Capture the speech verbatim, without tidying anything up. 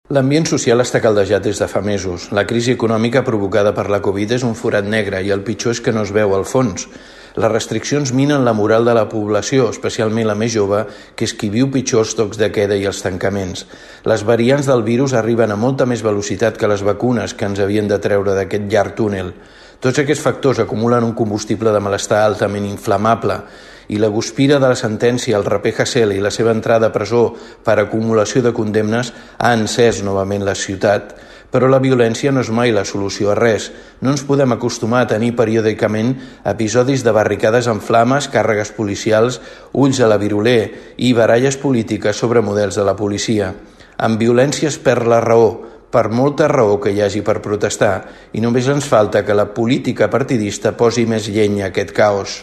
L'ambient social està caldejat des de fa mesos. La crisi econòmica provocada per la Covid és un forat negre i el pitjor és que no es veu al fons. Les restriccions minen la moral de la població, especialment la més jove, que és qui viu pitjor els tocs de queda i els tancaments. Les variants del virus arriben a molta més velocitat que les vacunes que ens havien de treure d'aquest llarg túnel. Tots aquests factors acumulen un combustible de malestar altament inflamable i la guspira de la sentència, el raper Hasele i la seva entrada a presó per acumulació de condemnes ha encès novament la ciutat. Però la violència no és mai la solució a res. No ens podem acostumar a tenir periòdicament episodis de barricades en flames, càrregues policials, ulls a la viroler i baralles polítiques sobre models de la policia. Amb violència es perd la raó, per molta raó que hi hagi per protestar, i només ens falta que la política partidista posi més llenya a aquest caos.